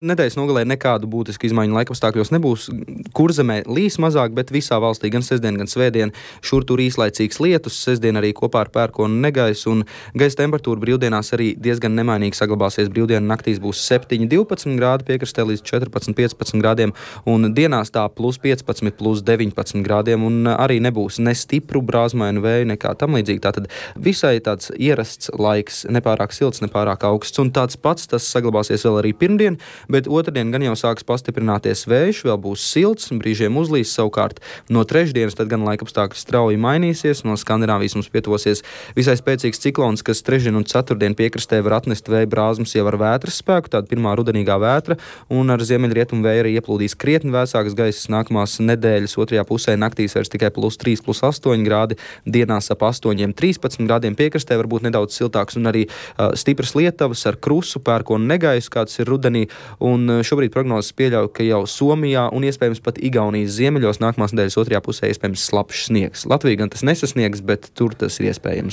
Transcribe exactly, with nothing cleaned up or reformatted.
Nedēļas nogalē nekādu būtisku izmaiņu laikapstākļos nebūs. Kurzemē līs mazāk, bet visā valstī gan sestdien, gan svētdien šur tur īslaicīgs lietus. Sestdien arī kopā ar pērkonu negaisu, un gaisa temperatūra brīvdienās arī diezgan nemainīgi saglabāsies. Brīvdienu naktīs būs septiņi divpadsmit grādi, piekrastē līdz četrpadsmit piecpadsmit grādiem, un dienās tā plus piecpadsmit, plus deviņpadsmit grādiem, un arī nebūs ne stipru brāzmainu vēju, nekā tam līdzīgi. Tātad visai tāds ierasts laiks, nepārāk silts, nepārāk augsts, un tāds pats tas saglabāsies vēl arī pirmdien. Bet otrdien gan jau sāks pastiprināties vējš, vēl būs silts, brīžiem uzlīs. Savukārt no trešdienas tad gan laikapstākļi strauji mainīsies. No Skandināvijas mums pietuvosies visai spēcīgs ciklons, kas trešdien un ceturtdien piekrastē var atnest vēja brāzmas jau ar vētras spēku, tāda pirmā rudenīgā vētra, un ar ziemeļrietumu vēju arī ieplūdīs krietni vēsākas gaisas. Nākamās nedēļas otrajā pusē naktīs vairs tikai plus trīs, plus astoņi grādi, dienās ap astoņiem, trīspadsmit grādiem piekrastē varbūt nedaudz siltāks, un arī uh, stipras lietavas ar krusu, pērkonu negaisu, kāds ir rudenī. Un šobrīd prognozes pieļauj, ka jau Somijā un iespējams pat Igaunijas ziemeļos nākamās nedēļas otrajā pusē iespējams slapjš sniegs. Latvija gan tas nesasniegs, bet tur tas ir iespējams.